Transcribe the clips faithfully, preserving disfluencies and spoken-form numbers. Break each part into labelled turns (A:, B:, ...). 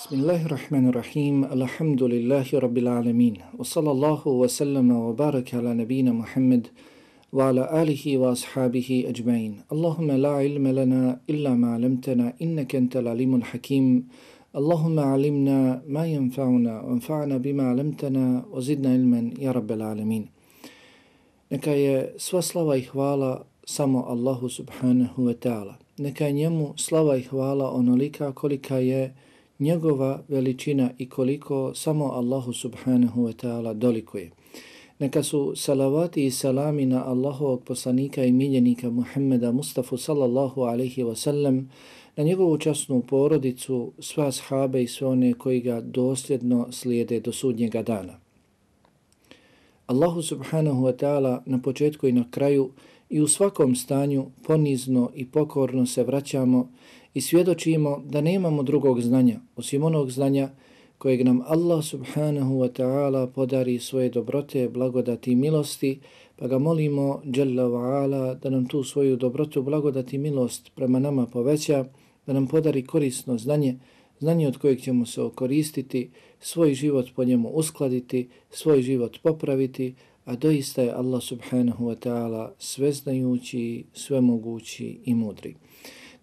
A: Bismillahirrahmanirrahim. Alhamdulillahi rabbil alamin. Wa sallallahu wa sallama wa baraka ala nabina Muhammad wa ala alihi wa ashabihi ajma'in. Allahumma la ilma lana illa ma 'allamtana innaka antal alimul hakim. Allahumma 'allimna ma yanfa'una wanfa'na bima 'allamtana wa zidna ilman ya rabbil alamin. Neka je sva slava i hvala samo Allahu subhanahu wa ta'ala. Neka je njemu slava i hvala onolika kolika je njegova veličina i koliko samo Allahu subhanahu wa ta'ala dolikuje. Neka su salavati i salami na Allahovog poslanika i miljenika Muhammeda Mustafa sallallahu alaihi wa sallam, na njegovu časnu porodicu, sva ashabe i sve one koji ga dosljedno slijede do sudnjega dana. Allahu subhanahu wa ta'ala na početku i na kraju i u svakom stanju ponizno i pokorno se vraćamo i svjedočimo da nemamo drugog znanja osim onog znanja kojeg nam Allah subhanahu wa ta'ala podari svoje dobrote, blagodati i milosti, pa ga molimo Jalla wa ala da nam tu svoju dobrotu, blagodati i milost prema nama poveća, da nam podari korisno znanje, znanje od kojeg ćemo se okoristiti, svoj život po njemu uskladiti, svoj život popraviti, a doista je Allah subhanahu wa ta'ala sveznajući, svemogući i mudri.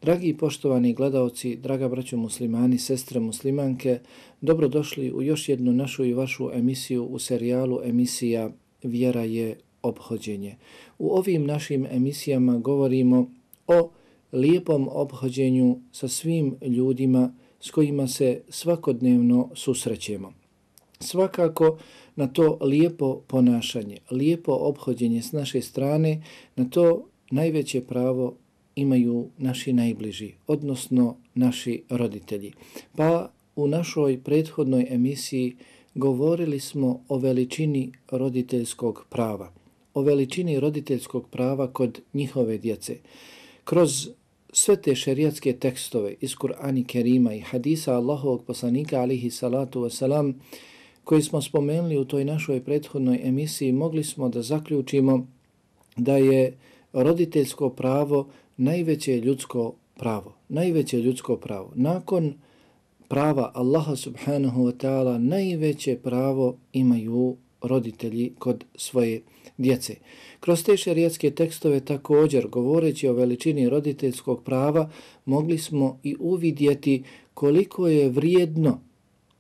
A: Dragi i poštovani gledaoci, draga braćo muslimani, sestre muslimanke, dobrodošli u još jednu našu i vašu emisiju u serijalu emisija Vjera je ophođenje. U ovim našim emisijama govorimo o lijepom ophođenju sa svim ljudima s kojima se svakodnevno susrećemo. Svakako na to lijepo ponašanje, lijepo ophođenje s naše strane, na to najveće pravo imaju naši najbliži, odnosno naši roditelji. Pa u našoj prethodnoj emisiji govorili smo o veličini roditeljskog prava, o veličini roditeljskog prava kod njihove djece. Kroz sve te šerijatske tekstove iz Kur'ana Kerima i hadisa Allahovog poslanika alihi salatu wasalam, koji smo spomenuli u toj našoj prethodnoj emisiji, mogli smo da zaključimo da je roditeljsko pravo najveće ljudsko pravo. Najveće ljudsko pravo. Nakon prava Allaha subhanahu wa ta'ala najveće pravo imaju roditelji kod svoje djece. Kroz te šerijatske tekstove također, govoreći o veličini roditeljskog prava, mogli smo i uvidjeti koliko je vrijedno,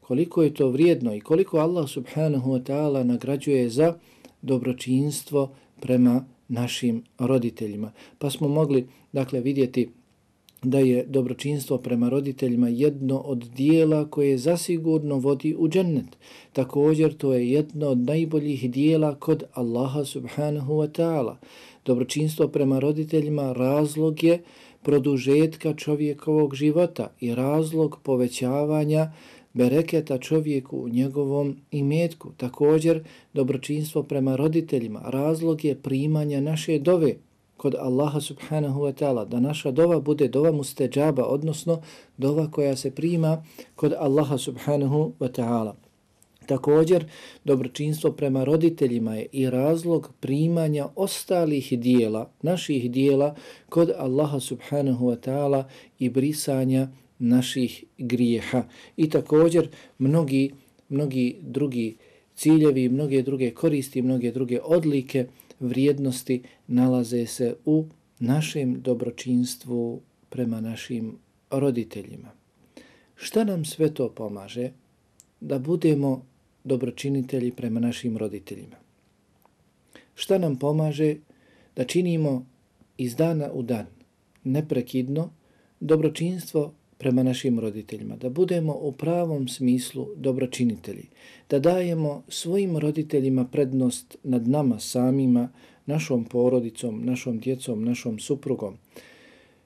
A: koliko je to vrijedno i koliko Allah subhanahu wa ta'ala nagrađuje za dobročinstvo prema našim roditeljima. Pa smo mogli, dakle, vidjeti da je dobročinstvo prema roditeljima jedno od dijela koje zasigurno vodi u džennet. Također to je jedno od najboljih dijela kod Allaha subhanahu wa ta'ala. Dobročinstvo prema roditeljima razlog je produžetka čovjekovog života i razlog povećavanja bereketa čovjeku u njegovom imetku. Također, dobročinstvo prema roditeljima razlog je primanja naše dove kod Allaha subhanahu wa ta'ala, da naša dova bude dova musteđaba, odnosno dova koja se prima kod Allaha subhanahu wa ta'ala. Također, dobročinstvo prema roditeljima je i razlog primanja ostalih dijela, naših dijela kod Allaha subhanahu wa ta'ala i brisanja naših grijeha. I također mnogi, mnogi drugi ciljevi, mnoge druge koristi, mnoge druge odlike, vrijednosti nalaze se u našem dobročinstvu prema našim roditeljima. Šta nam sve to pomaže da budemo dobročinitelji prema našim roditeljima? Šta nam pomaže da činimo iz dana u dan, neprekidno, dobročinstvo prema našim roditeljima, da budemo u pravom smislu dobročinitelji, da dajemo svojim roditeljima prednost nad nama samima, našom porodicom, našom djecom, našom suprugom.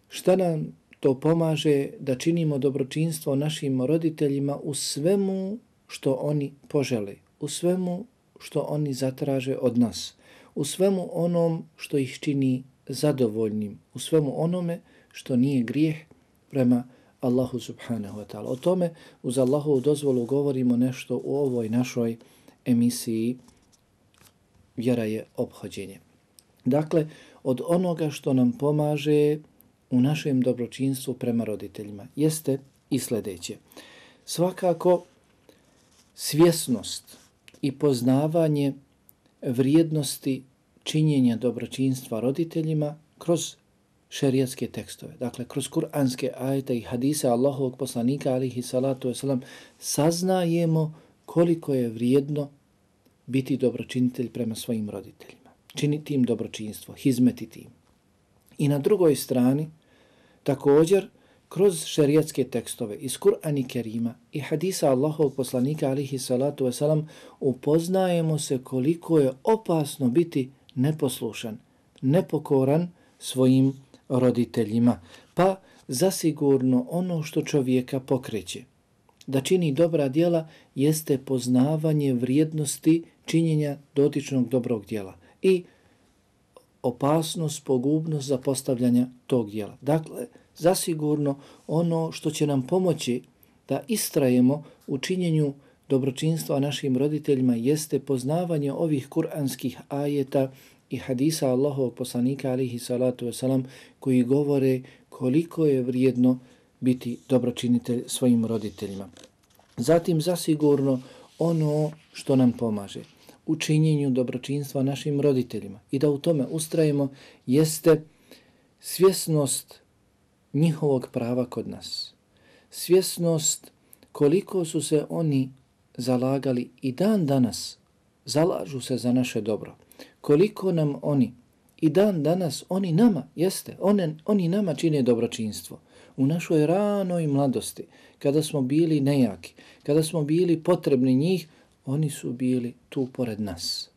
A: Šta nam to pomaže da činimo dobročinstvo našim roditeljima u svemu što oni požele, u svemu što oni zatraže od nas, u svemu onom što ih čini zadovoljnim, u svemu onome što nije grijeh prema Allahu subhanahu wa ta'ala. O tome uz Allahovu dozvolu govorimo nešto u ovoj našoj emisiji Vjera je ophođenje. Dakle, od onoga što nam pomaže u našem dobročinstvu prema roditeljima jeste i sljedeće. Svakako svjesnost i poznavanje vrijednosti činjenja dobročinstva roditeljima kroz šerijatske tekstove. Dakle, kroz kuranske ajete i hadise Allahovog poslanika alihi salatu wasalam saznajemo koliko je vrijedno biti dobročinitelj prema svojim roditeljima. Činiti im dobročinstvo, hizmetiti im. I na drugoj strani, također, kroz šerijatske tekstove iz Kur'ana Kerima i hadisa Allahovog poslanika alihi salatu wasalam upoznajemo se koliko je opasno biti neposlušan, nepokoran svojim roditeljima. Pa zasigurno ono što čovjeka pokreće da čini dobra djela jeste poznavanje vrijednosti činjenja dotičnog dobrog djela i opasnost, pogubnost zapostavljanja tog djela. Dakle, zasigurno ono što će nam pomoći da istrajemo u činjenju dobročinstva našim roditeljima jeste poznavanje ovih kuranskih ajeta i hadisa Allahovog poslanika alihi salatu wasalam koji govore koliko je vrijedno biti dobročinitelj svojim roditeljima. Zatim zasigurno ono što nam pomaže u činjenju dobročinstva našim roditeljima i da u tome ustrajemo jeste svjesnost njihovog prava kod nas. Svjesnost koliko su se oni zalagali i dan danas zalažu se za naše dobro. Koliko nam oni i dan danas oni nama, jeste, one, oni nama čine dobročinstvo. U našoj ranoj mladosti, kada smo bili nejaki, kada smo bili potrebni njih, oni su bili tu pored nas.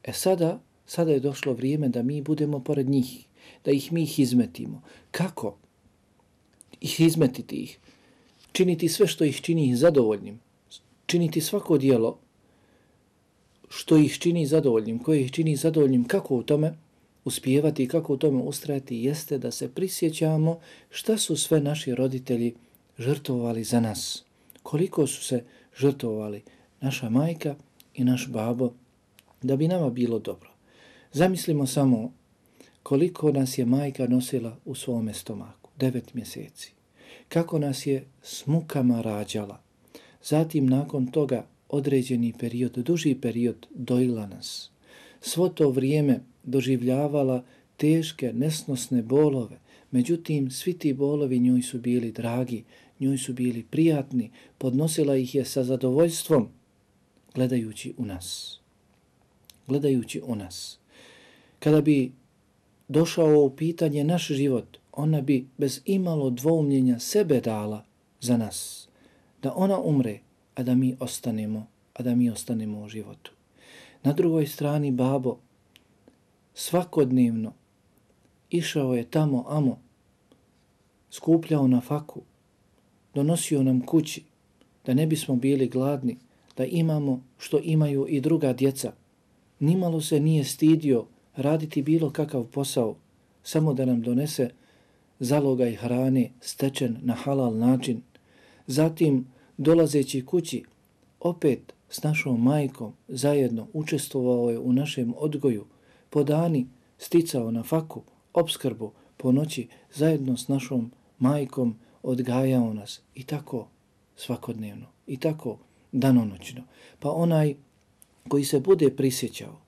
A: E sada, sada je došlo vrijeme da mi budemo pored njih, da ih mi hizmetimo. Kako? Ih hizmetiti ih. Činiti sve što ih čini ih zadovoljnim. Činiti svako dijelo što ih čini zadovoljnim, koje ih čini zadovoljnim. Kako u tome uspijevati i kako u tome ustrajati jeste da se prisjećamo šta su sve naši roditelji žrtvovali za nas. Koliko su se žrtvovali naša majka i naš babo da bi nama bilo dobro. Zamislimo samo koliko nas je majka nosila u svome stomaku, devet mjeseci. Kako nas je s mukama rađala. Zatim nakon toga određeni period, duži period dojila nas. Svo to vrijeme doživljavala teške, nesnosne bolove. Međutim, svi ti bolovi njoj su bili dragi, njoj su bili prijatni, podnosila ih je sa zadovoljstvom, gledajući u nas. Gledajući u nas. Kada bi došao u pitanje naš život, ona bi bez imalo dvoumljenja sebe dala za nas. Da ona umre, a da mi ostanemo, a da mi ostanemo u životu. Na drugoj strani babo svakodnevno išao je tamo amo, skupljao na faku, donosio nam kući, da ne bismo bili gladni, da imamo što imaju i druga djeca. Nimalo se nije stidio raditi bilo kakav posao, samo da nam donese zalogaj hrane stečen na halal način. Zatim, dolazeći kući, opet s našom majkom zajedno učestvovao je u našem odgoju, po dani sticao na faku, opskrbu, po noći zajedno s našom majkom odgajao nas i tako svakodnevno, i tako danonoćno. Pa onaj koji se bude prisjećao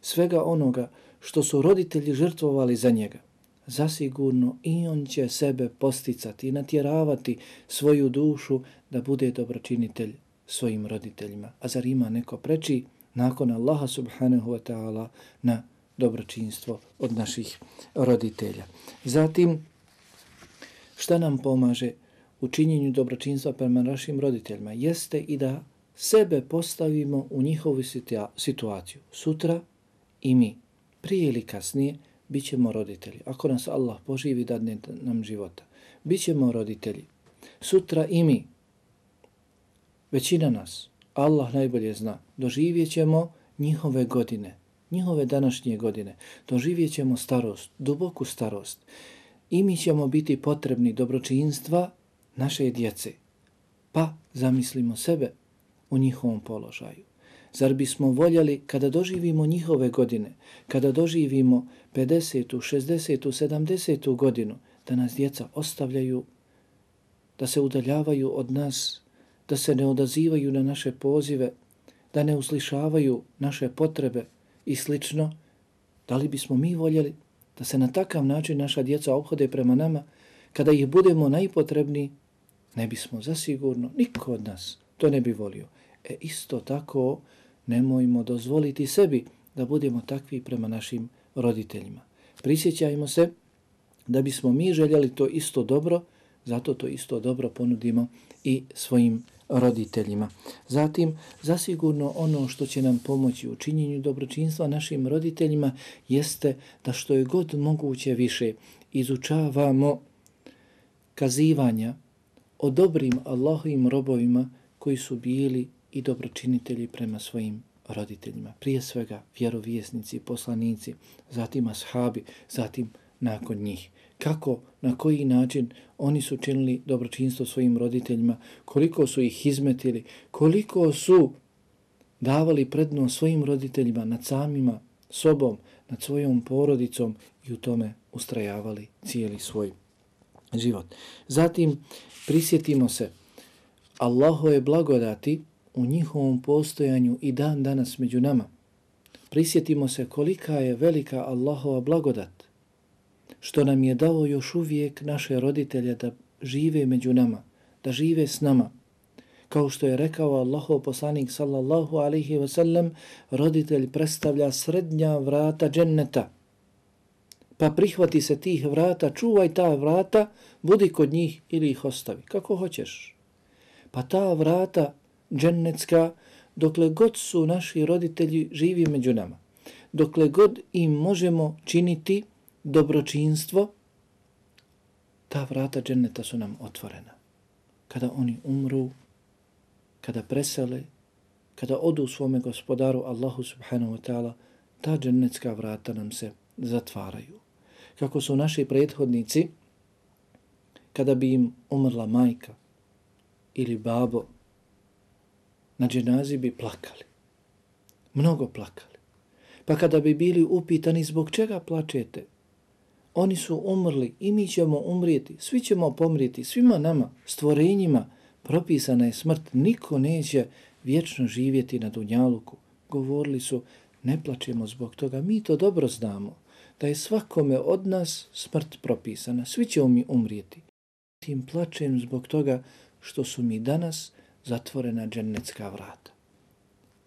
A: svega onoga što su roditelji žrtvovali za njega, zasigurno i on će sebe posticati i natjeravati svoju dušu da bude dobročinitelj svojim roditeljima. A zar ima neko preči nakon Allaha subhanahu wa ta'ala na dobročinstvo od naših roditelja? Zatim, šta nam pomaže u činjenju dobročinstva prema našim roditeljima? Jeste i da sebe postavimo u njihovu situaciju. Sutra i mi, prije ili kasnije, bit ćemo roditelji. Ako nas Allah poživi, dadne nam života. Bićemo roditelji. Sutra i mi, većina nas, Allah najbolje zna, doživjet ćemo njihove godine, njihove današnje godine. Doživjet ćemo starost, duboku starost. I mi ćemo biti potrebni dobročinstva naše djece. Pa zamislimo sebe u njihovom položaju. Zar bismo voljeli kada doživimo njihove godine, kada doživimo pedesetu, šezdesetu, sedamdesetu godinu, da nas djeca ostavljaju, da se udaljavaju od nas, da se ne odazivaju na naše pozive, da ne uslišavaju naše potrebe i slično, da li bismo mi voljeli da se na takav način naša djeca ophode prema nama, kada ih budemo najpotrebniji? Ne bismo zasigurno, niko od nas to ne bi volio. E isto tako nemojmo dozvoliti sebi da budemo takvi prema našim roditeljima. Prisjećajmo se da bismo mi željeli to isto dobro, zato to isto dobro ponudimo i svojim roditeljima. Zatim, zasigurno ono što će nam pomoći u činjenju dobročinstva našim roditeljima jeste da što je god moguće više izučavamo kazivanja o dobrim Allahovim robovima koji su bili i dobročinitelji prema svojim roditeljima. Prije svega vjerovjesnici, poslanici, zatim ashabi, zatim nakon njih. Kako, na koji način oni su činili dobročinstvo svojim roditeljima, koliko su ih izmetili, koliko su davali prednost svojim roditeljima nad samima sobom, nad svojom porodicom i u tome ustrajavali cijeli svoj život. Zatim prisjetimo se Allahove blagodati u njihovom postojanju i dan danas među nama. Prisjetimo se kolika je velika Allahova blagodat što nam je dao još uvijek naše roditelje da žive među nama, da žive s nama. Kao što je rekao Allahov poslanik sallallahu alaihi wa sallam, roditelj predstavlja srednja vrata dženneta. Pa prihvati se tih vrata, čuvaj ta vrata, budi kod njih ili ih ostavi, kako hoćeš. Pa ta vrata džennetska, dokle god su naši roditelji živi među nama, dokle god im možemo činiti dobročinstvo, ta vrata dženneta su nam otvorena. Kada oni umru, kada presele, kada odu svome gospodaru Allahu subhanahu wa ta'ala, ta džennetska vrata nam se zatvaraju. Kako su naši prethodnici, kada bi im umrla majka ili babo, na dženazi bi plakali. Mnogo plakali. Pa kada bi bili upitani zbog čega plačete, oni su umrli i mi ćemo umrijeti, svi ćemo pomrijeti, svima nama, stvorenjima, propisana je smrt, niko neće vječno živjeti na dunjaluku. Govorili su, ne plačemo zbog toga, mi to dobro znamo, da je svakome od nas smrt propisana, svi ćemo mi umrijeti. Tim plačem zbog toga što su mi danas zatvorena džennetska vrata.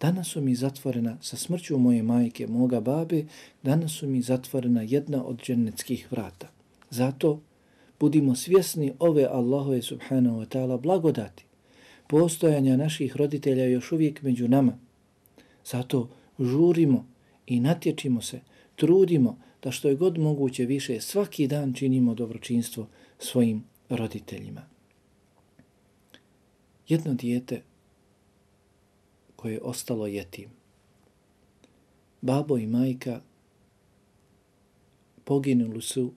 A: Danas su mi zatvorena sa smrću moje majke, moga babe, danas su mi zatvorena jedna od džennetskih vrata. Zato budimo svjesni ove Allahove subhanahu wa ta'ala blagodati, postojanja naših roditelja još uvijek među nama. Zato žurimo i natječimo se, trudimo da što je god moguće više svaki dan činimo dobročinstvo svojim roditeljima. Jedno dijete koje je ostalo jetim. Babo i majka poginuli su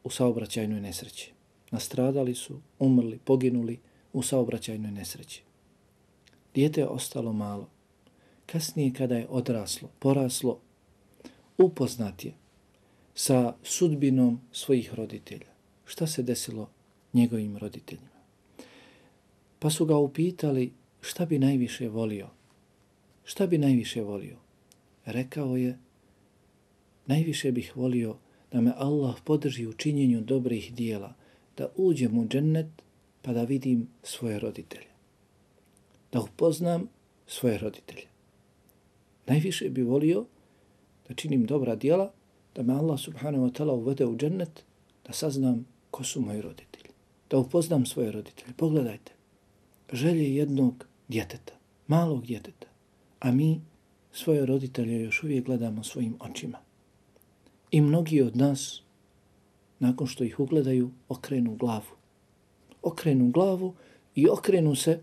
A: u saobraćajnoj nesreći. Nastradali su, umrli, poginuli u saobraćajnoj nesreći. Dijete je ostalo malo. Kasnije kada je odraslo, poraslo, upoznat je sa sudbinom svojih roditelja. Šta se desilo njegovim roditeljima? Pa su ga upitali šta bi najviše volio. Šta bi najviše volio? Rekao je, najviše bih volio da me Allah podrži u činjenju dobrih dijela, da uđem u džennet pa da vidim svoje roditelje. Da upoznam svoje roditelje. Najviše bi volio da činim dobra dijela, da me Allah subhanahu wa ta'ala uvede u džennet, da saznam ko su moji roditelji. Da upoznam svoje roditelje. Pogledajte, želje jednog djeteta, malog djeteta, a mi svoje roditelje još uvijek gledamo svojim očima. I mnogi od nas, nakon što ih ugledaju, okrenu glavu. Okrenu glavu i okrenu se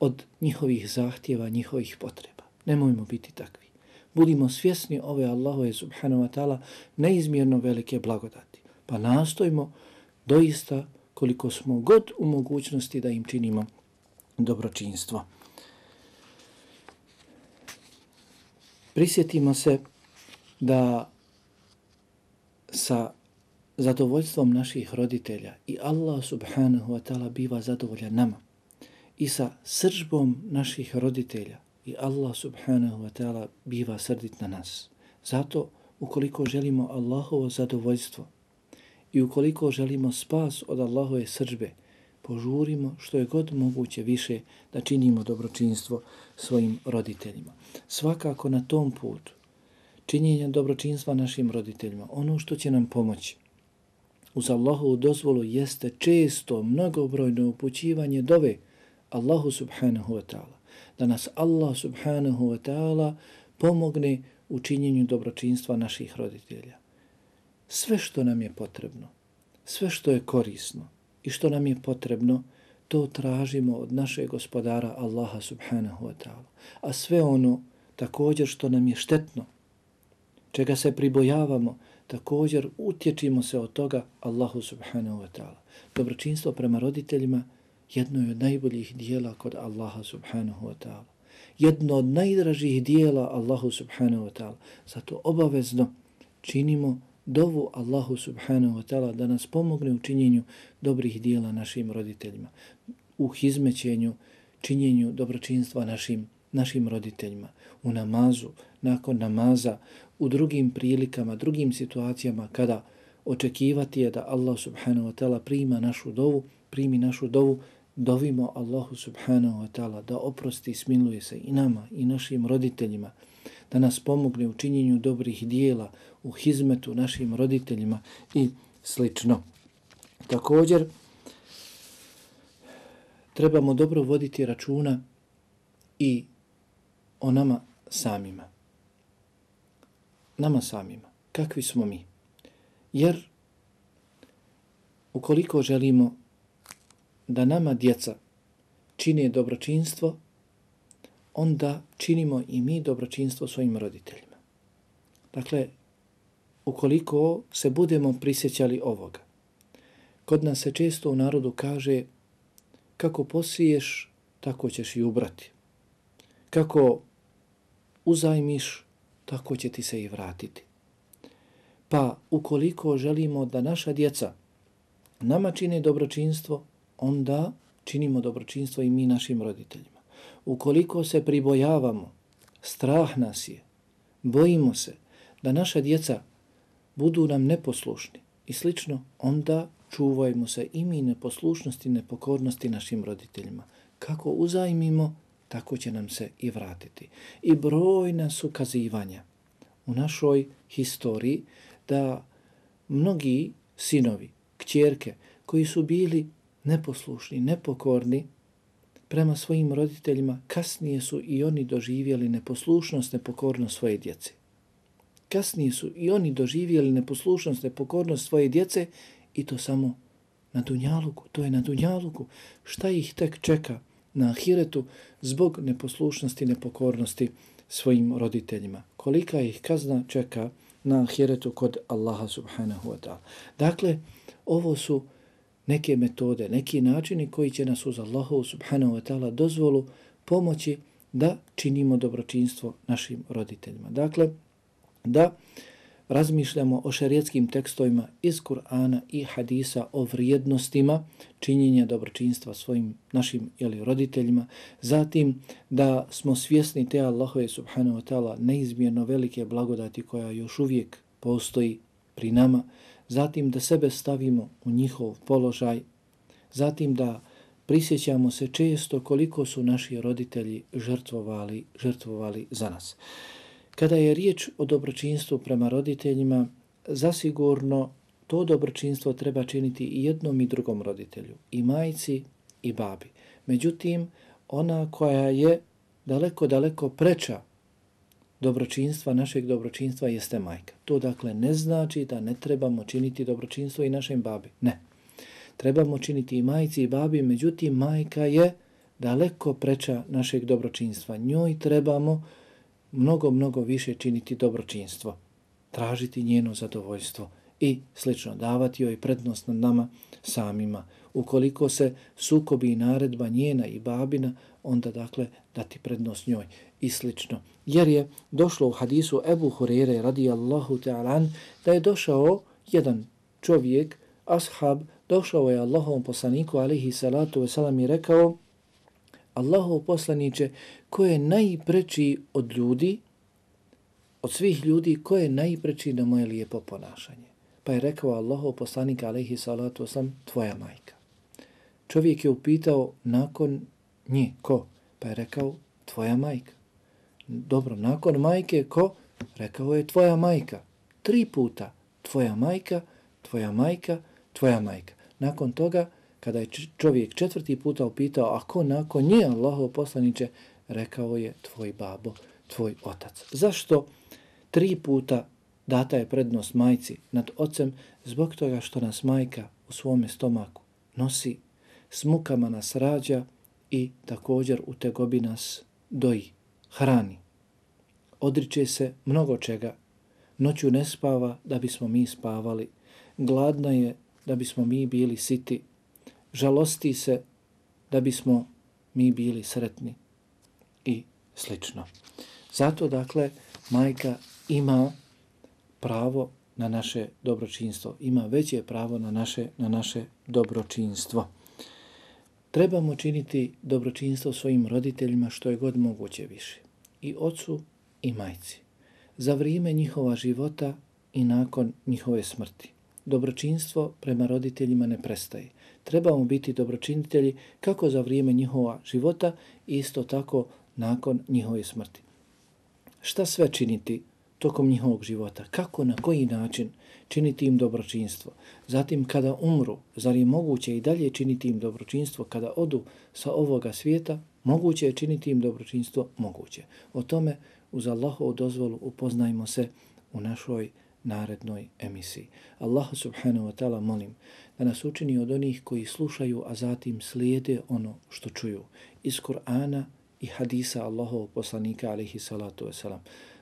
A: od njihovih zahtjeva, njihovih potreba. Nemojmo biti takvi. Budimo svjesni ove Allahove subhanahu wa ta'ala neizmjerno velike blagodati. Pa nastojimo doista koliko smo god u mogućnosti da im činimo dobročinstvo. Prisjetimo se da sa zadovoljstvom naših roditelja i Allah subhanahu wa ta'ala biva zadovoljan nama. i sa srdžbom naših roditelja i Allah subhanahu wa ta'ala biva srdit na nas. Zato ukoliko želimo Allahovo zadovoljstvo i ukoliko želimo spas od Allahove srdžbe, požurimo što je god moguće više da činimo dobročinstvo svojim roditeljima. Svakako na tom putu činjenja dobročinstva našim roditeljima, ono što će nam pomoći uz Allahovu dozvolu jeste često mnogobrojno upućivanje dove Allahu subhanahu wa ta'ala. Da nas Allah subhanahu wa ta'ala pomogne u činjenju dobročinstva naših roditelja. Sve što nam je potrebno, sve što je korisno i što nam je potrebno, to tražimo od našeg gospodara Allaha subhanahu wa ta'ala. A sve ono također što nam je štetno, čega se pribojavamo, također utječimo se od toga Allahu subhanahu wa ta'ala. Dobročinstvo prema roditeljima jedno je od najboljih dijela kod Allaha subhanahu wa ta'ala. Jedno od najdražih dijela Allahu subhanahu wa ta'ala. Zato obavezno činimo dovu Allahu subhanahu wa ta'ala da nas pomogne u činjenju dobrih dijela našim roditeljima, u hizmećenju, činjenju dobročinstva našim, našim roditeljima, u namazu, nakon namaza, u drugim prilikama, drugim situacijama kada očekivati je da Allah subhanahu wa ta'ala prima našu dovu, primi našu dovu, dovimo Allahu subhanahu wa ta'ala da oprosti i smiluje se i nama i našim roditeljima, da nas pomogne u činjenju dobrih dijela, u hizmetu našim roditeljima i slično. Također, trebamo dobro voditi računa i o nama samima. Nama samima. Kakvi smo mi? Jer ukoliko želimo da nama djeca čine dobročinstvo, onda činimo i mi dobročinstvo svojim roditeljima. Dakle, ukoliko se budemo prisjećali ovoga, kod nas se često u narodu kaže kako posiješ, tako ćeš i ubrati. Kako uzajmiš, tako će ti se i vratiti. Pa ukoliko želimo da naša djeca nama čine dobročinstvo, onda činimo dobročinstvo i mi našim roditeljima. Ukoliko se pribojavamo, strah nas je, bojimo se da naša djeca budu nam neposlušni i slično, onda čuvajmo se i mi neposlušnosti, nepokornosti našim roditeljima. Kako uzajmimo, tako će nam se i vratiti. I brojna su kazivanja u našoj historiji da mnogi sinovi, kćerke, koji su bili neposlušni, nepokorni prema svojim roditeljima, kasnije su i oni doživjeli neposlušnost, nepokornost svoje djece. Kasnije su i oni doživjeli neposlušnost, nepokornost svoje djece i to samo na dunjaluku. To je na dunjaluku. Šta ih tek čeka na ahiretu zbog neposlušnosti, nepokornosti svojim roditeljima? Kolika ih kazna čeka na ahiretu kod Allaha subhanahu wa ta'ala? Dakle, ovo su neke metode, neki načini koji će nas uz Allahu subhanahu wa ta'ala dozvolu pomoći da činimo dobročinstvo našim roditeljima. Dakle, da razmišljamo o šerijetskim tekstovima iz Kur'ana i hadisa o vrijednostima činjenja dobročinstva svojim našim ili roditeljima, zatim da smo svjesni te Allahove subhanahu wa ta'ala neizmjerno velike blagodati koja još uvijek postoji pri nama, zatim da sebe stavimo u njihov položaj, zatim da prisjećamo se često koliko su naši roditelji žrtvovali, žrtvovali za nas. Kada je riječ o dobročinstvu prema roditeljima, zasigurno to dobročinstvo treba činiti i jednom i drugom roditelju, i majci i babi. Međutim, ona koja je daleko, daleko preča dobročinstva, našeg dobročinstva jeste majka. To dakle ne znači da ne trebamo činiti dobročinstvo i našem babi. Ne. Trebamo činiti i majci i babi, međutim majka je daleko preča našeg dobročinstva. Njoj trebamo mnogo, mnogo više činiti dobročinstvo, tražiti njeno zadovoljstvo i slično, davati joj prednost nad nama samima. Ukoliko se sukobi i naredba njena i babina, onda dakle dati prednost njoj i slično. Jer je došlo u hadisu Ebu Hurere radijallahu ta'ala da je došao jedan čovjek, ashab, došao je Allahovom poslaniku alihi salatu wasalam i rekao: Allahov poslaniče, ko je najpreči od ljudi, od svih ljudi, ko je najpreči na moje lijepo ponašanje? Pa je rekao Allahov poslanik alejhi salatu vesselam, tvoja majka. Čovjek je upitao nakon nje, ko? Pa je rekao, tvoja majka. Dobro, nakon majke, ko? Rekao je, tvoja majka. Tri puta, tvoja majka, tvoja majka, tvoja majka. Nakon toga, kada je čovjek četvrti puta upitao, a ko nakon nje, Allahov poslaniče, rekao je, tvoj babo, tvoj otac. Zašto tri puta data je prednost majci nad ocem? Zbog toga što nas majka u svome stomaku nosi, s mukama nas rađa i također u tegobi nas doji, hrani. Odriče se mnogo čega. Noću ne spava da bismo mi spavali. Gladna je da bismo mi bili siti. Žalosti se da bismo mi bili sretni i slično. Zato, dakle, majka ima pravo na naše dobročinstvo. Ima veće pravo na naše, na naše dobročinstvo. Trebamo činiti dobročinstvo svojim roditeljima što je god moguće više. I ocu i majci. Za vrijeme njihova života i nakon njihove smrti. Dobročinstvo prema roditeljima ne prestaje. Trebamo biti dobročinitelji kako za vrijeme njihova života, isto tako nakon njihove smrti. Šta sve činiti tokom njihovog života? Kako, na koji način činiti im dobročinstvo? Zatim kada umru, zar je moguće i dalje činiti im dobročinstvo? Kada odu sa ovoga svijeta, moguće je činiti im dobročinstvo? Moguće. O tome uz Allahovu dozvolu upoznajmo se u našoj narednoj emisiji. Allah subhanahu wa ta'ala molim da nas učini od onih koji slušaju, a zatim slijede ono što čuju iz Kur'ana i hadisa Allahovog poslanika alejhi salatu vesselam.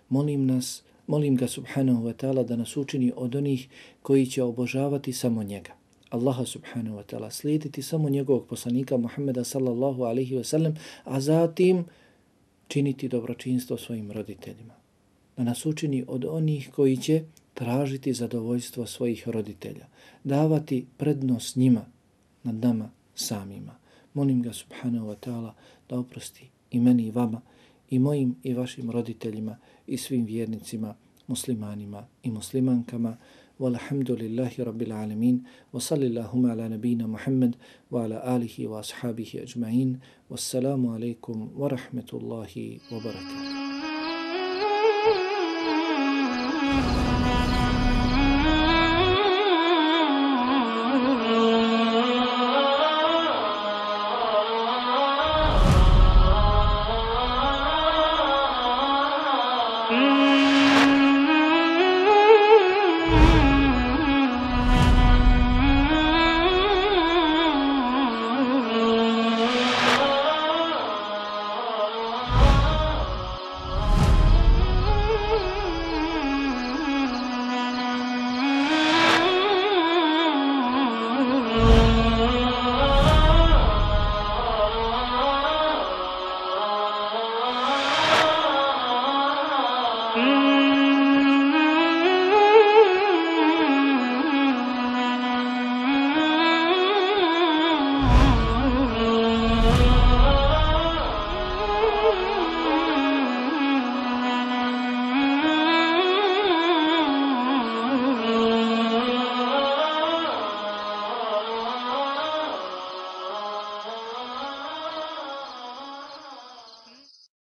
A: Molim nas, molim ga subhanahu wa ta'ala da nas učini od onih koji će obožavati samo njega. Allaha subhanahu wa ta'ala, slijediti samo njegovog poslanika Muhammeda sallallahu alejhi ve sellem, a zatim činiti dobročinstvo svojim roditeljima. Da nas učini od onih koji će tražiti zadovoljstvo svojih roditelja, davati prednost njima nad nama samima. Molim ga subhanahu wa ta'ala da oprosti i meni i vama, i mojim i vašim roditeljima i svim vjernicima, muslimanima i muslimankama. Walhamdulillahi rabbil alamin, wa sallillahuma ala nabina Muhammad wa ala alihi wa ashabihi ajma'in. Wassalamu alaikum wa rahmetullahi wa barakatuh.